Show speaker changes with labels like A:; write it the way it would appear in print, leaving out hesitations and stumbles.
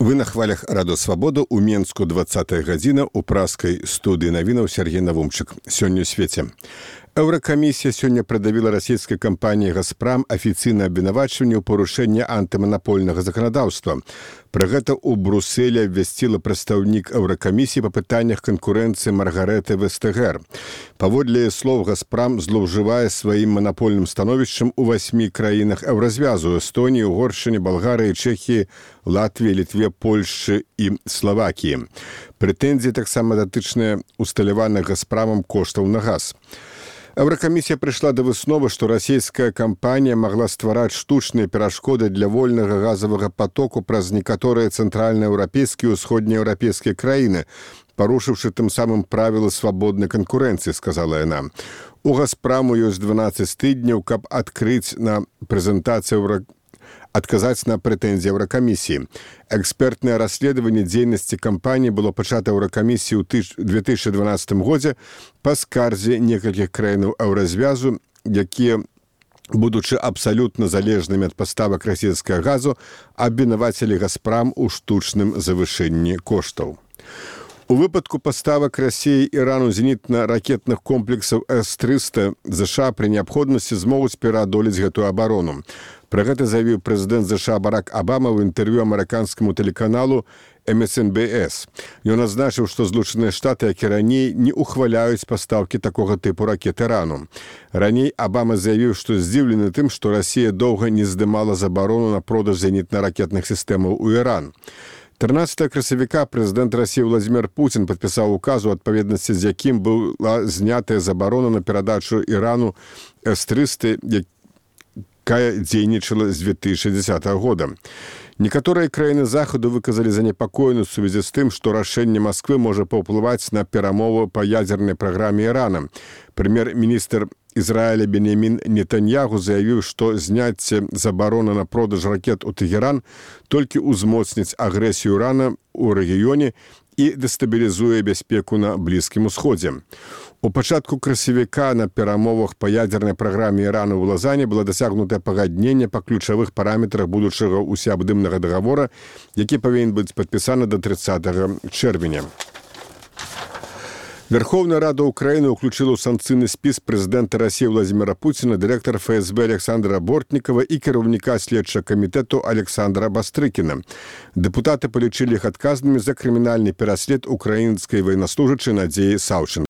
A: Вы на хвалях Радо Свабода у Менску 20-я гадзіна у праскай студыі навінаў Сергей Навумчык. Сёння ў свеце. Еўракамісія сёння прыдавіла расійскай кампаніі «Газпрам» афіцыйнае абвінавачванне ў парушэнні антыманапольнага заканадаўства. Пра гэта ў Брусэлі абвясціла прадстаўнік Еўракамісіі па пытаннях канкурэнцыі Маргарэты Вестэгер. Паводле слоў, «Газпрам» злоўжывае сваім манапольным становішчам у 8 краінах еўразвязу: Эстоніі, Угоршчыне, Балгарыі, Чэхіі, Латвіі, Літве, Польшчы і Славакіі. Прэтэнзіі таксама датычныя усталяваных «Газпрамам» коштаў на газ. Еўракамісія прыйшла да высновы, што расійская кампанія магла ствараць штучныя перашкоды для вольнага газавага патоку праз некаторыя цэнтральнаеўрапейскія і ўсходнееўрапейскія краіны, парушыўшы тым самым правілы свабоднай канкурэнцыі, сказала яна. У «Газпраму» ёсць 12 тыдняў, каб адказаць на прэтэнзіі Еўракамісіі. Экспертнае расследаванне дзейнасці кампаніі было пачата Еўракамісіі ў 2012 годзе па скарзе некалькіх краінаў еўразвязу, якія, будучы абсалютна залежнымі ад паставак расійскага газу, абвінавацілі «Газпрам» у штучным завышэнні коштаў. У выпадку паставак Расіі і Ірану зенітна-ракетных комплексаў С-300 ЗША пры неабходнасці змогуць пераадолець гэтую абарону. Пра гэта заявіў прэзідэнт ЗША Барак Абама ў інтэрв'ю амерыканскаму тэлеканалу MSNBS. Ён адзначыў, што Злучаныя Штаты, як і раней, не ухваляюць пастаўкі такога тыпу ракет Ірану. Раней Абама заявіў, што здзіўлены тым, што Расія доўга не здымала забарону на продаж зенітна-ракетных сістэмаў у Іран. 13 красавіка прэзідэнт Расіі Владзімір Пуцін падпісаў указ, у адпаведнасці з якім была знятая забарона на перадачу Ірану С-300, якая дзейнічала з 2010 года. Некаторыя краіны Захаду выказалі занепакоенасць у сувязі з тым, што рашэнне Масквы можа паўплываць на перамовы па ядзернай праграме Ірана. Прэм'ер-міністр Ізраіля Беньямін Нетаньягу заявіў, што зняцце забароны на продаж ракет у Тэгеран толькі ўзмоцніць агрэсію Ірана ў рэгіёне і дэстабілізуе бяспеку на Блізкім Усходзе. У пачатку красавіка на перамовах па ядзернай праграме Ірана ў Лазане было дасягнутае пагадненне па ключавых параметрах будучага усеабдымнага дагавора, які павінен быць падпісаны да 30 чэрвеня. Верховная Рада Украіны ўключыла ў санкцыйны спіс прэзідэнта Расіі Владзіміра Пуціна, дырэктара ФСБ Александра Бортнікава і кіраўніка следчага камітэту Александра Бастрыкіна. Дэпутаты палічылі іх адказнымі за крымінальны пераслед украінскай ваеннаслужачай Надзеі Саўчэнка.